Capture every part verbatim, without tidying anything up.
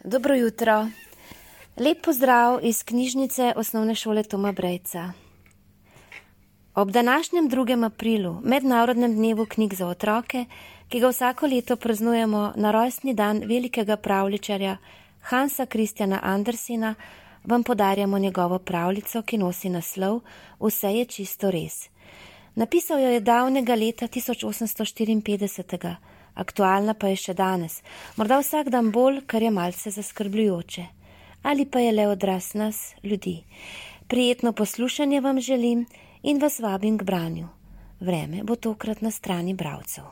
Dobro jutro. Lep pozdrav iz knjižnice Osnovne šole Toma Brejca. Ob današnjem drugem aprilu, mednarodnem dnevu knjig za otroke, ki ga vsako leto praznujemo na rojstni dan velikega pravljičarja Hansa Christiana Andersena, vam podarjamo njegovo pravljico, ki nosi naslov Vse je čisto res. Napisal jo je davnega leta tisoč osemsto štiriinpetdeset, aktualna pa je še danes, morda vsak dan bolj, kar je malce zaskrbljujoče. Ali pa je le odraz nas, ljudi. Prijetno poslušanje vam želim in vas vabim k branju. Vreme bo tokrat na strani bralcev.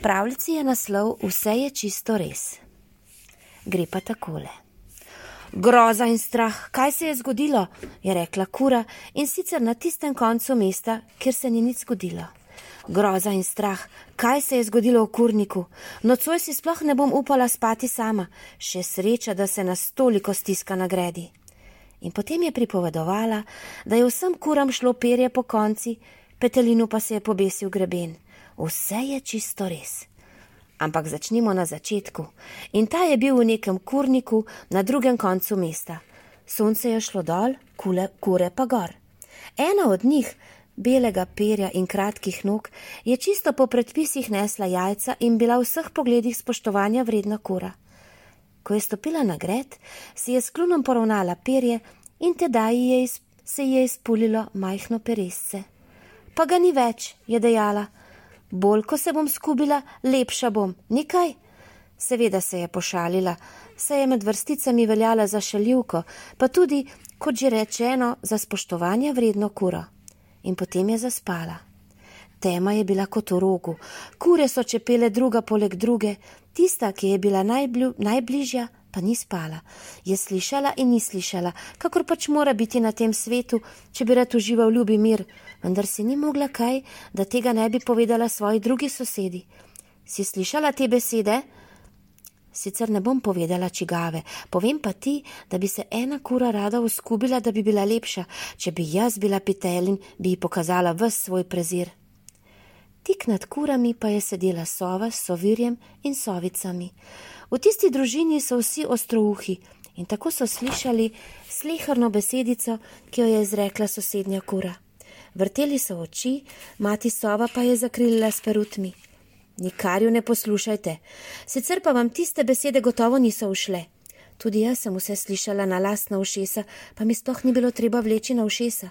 Pravljici je naslov Vse je čisto res. Gre pa takole. Groza in strah, kaj se je zgodilo, je rekla kura, in sicer na tistem koncu mesta, kjer se ni nič zgodilo. Groza in strah, kaj se je zgodilo v kurniku? Nocoj si sploh ne bom upala spati sama, še sreča, da se nas toliko stiska na gredi. In potem je pripovedovala, da je vsem kuram šlo perje po konci, petelinu pa se je pobesil greben. Vse je čisto res. Ampak začnimo na začetku. In ta je bil v nekem kurniku na drugem koncu mesta. Sonce je šlo dol, kule, kure pa gor. Ena od njih, belega perja in kratkih nog, je čisto po predpisih nesla jajca in bila v vseh pogledih spoštovanja vredna kura. Ko je stopila na gred, si je s klunom poravnala perje in tedaj je iz, se je izpulilo majhno peresce. Pa ga ni več, je dejala. Bolj, ko se bom skubila, lepša bom, nikaj? Seveda se je pošalila, saj je med vrsticami veljala za šaljivko, pa tudi, kot že rečeno, za spoštovanja vredno kuro. In potem je zaspala. Tema je bila kot v rogu, kure so čepele druga poleg druge, tista, ki je bila najblju, najbližja, pa ni spala. Je slišala in ni slišala, kakor pač mora biti na tem svetu, če bi rad užival ljubi mir, vendar si ni mogla kaj, da tega ne bi povedala svoji drugi sosedi. Si slišala te besede? Sicer ne bom povedala čigave, povem pa ti, da bi se ena kura rada uskubila, da bi bila lepša, če bi jaz bila petelin, bi ji pokazala ves svoj prezir. Tik nad kurami pa je sedela sova s sovirjem in sovicami. V tisti družini so vsi ostrouhi in tako so slišali sleherno besedico, ki jo je izrekla sosednja kura. Vrteli so oči, mati sova pa je zakrilila s perutmi. Nikar ju ne poslušajte, sicer pa vam tiste besede gotovo niso ušle. Tudi jaz sem vse slišala na lastna ušesa, pa mi sploh ni bilo treba vleči na ušesa.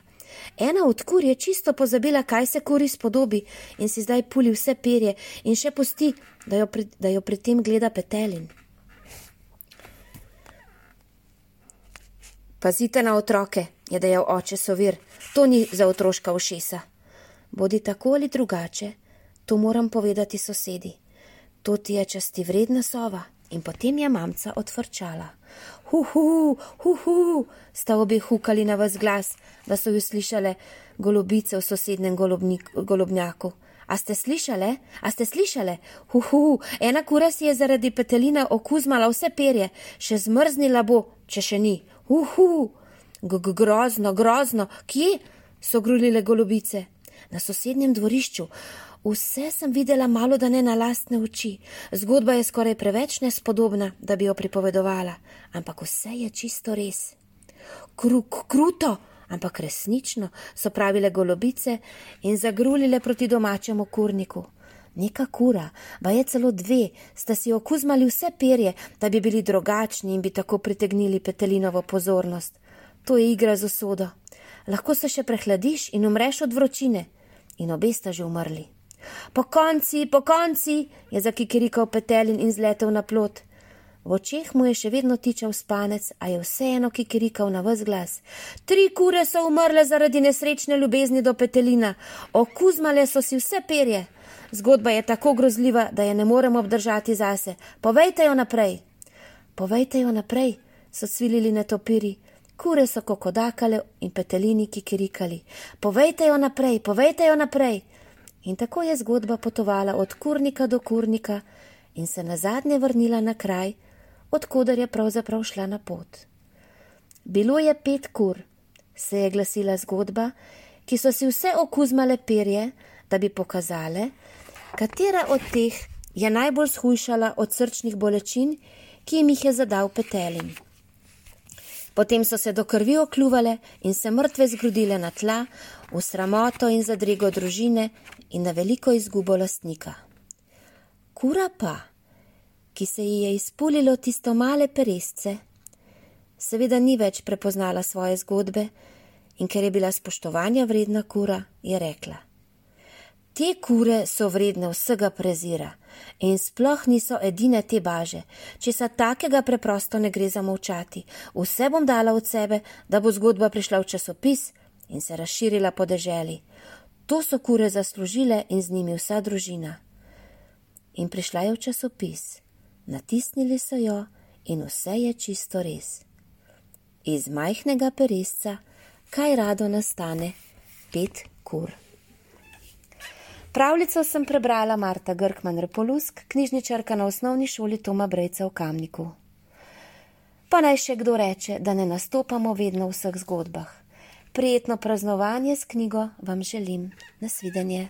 Ena od kur je čisto pozabila, kaj se kuri spodobi in si zdaj puli vse perje in še pusti, da jo, pri, da jo pri tem gleda petelin. Pazite na otroke, je dejal oče sovir, to ni za otroška ušesa. Bodi tako ali drugače, to moram povedati sosedi. To ti je časti vredna sova. In potem je mamca odfrčala. Hu, hu, hu, hu, sta obe hukali na ves glas, da so ju slišale golobice v sosednem golobnik, golobnjaku. A ste slišale? A ste slišale? Hu, hu, ena kura si je zaradi petelina okuzmala vse perje, še zmrznila bo, če še ni. Hu, hu, grozno, grozno, kje? So grulile golobice. Na sosednjem dvorišču. Vse sem videla malo da ne na lastne oči. Zgodba je skoraj preveč nespodobna, da bi jo pripovedovala, ampak vse je čisto res. Kruk, kruto, ampak resnično, so pravile golobice in zagrulile proti domačemu kurniku. Neka kura, ba je celo dve, sta si okuzmali vse perje, da bi bili drugačni in bi tako pritegnili petelinovo pozornost. To je igra z usodo. Lahko se še prehladiš in umreš od vročine. In obe sta že umrli. Po konci, po konci, je zakikirikal petelin in zletel na plot. V očeh mu je še vedno tičal spanec, a je vseeno kikirikal na ves glas. Tri kure so umrle zaradi nesrečne ljubezni do petelina. Okuzmale so si vse perje. Zgodba je tako grozljiva, da je ne moremo obdržati zase. Povejte jo naprej. Povejte jo naprej, so cvilili netopiri. Kure so kokodakale in petelini kikirikali. Povejte jo naprej, povejte jo naprej. In tako je zgodba potovala od kurnika do kurnika in se nazadnje vrnila na kraj, odkoder je pravzaprav šla na pot. Bilo je pet kur, se je glasila zgodba, ki so si vse okuzmale perje, da bi pokazale, katera od teh je najbolj shujšala od srčnih bolečin, ki jim jih je zadal petelin. Potem so se do krvi okljuvale in se mrtve zgrudile na tla, v sramoto in zadrego družine in na veliko izgubo lastnika. Kura pa, ki se ji je izpulilo tisto male peresce, seveda ni več prepoznala svoje zgodbe in ker je bila spoštovanja vredna kura, je rekla: Te kure so vredne vsega prezira in sploh niso edine te baže, česa takega preprosto ne gre zamolčati. Vse bom dala od sebe, da bo zgodba prišla v časopis in se razširila po deželi. To so kure zaslužile in z njimi vsa družina. In prišla je v časopis, natisnili so jo in vse je čisto res. Iz majhnega peresca kaj rado nastane pet kur. Pravljico sem prebrala Marta Grkman Repolusk, knjižničarka na osnovni šoli Toma Brejca v Kamniku. Pa naj še kdo reče, da ne nastopamo vedno v vseh zgodbah. Prijetno praznovanje s knjigo vam želim. Nasvidenje.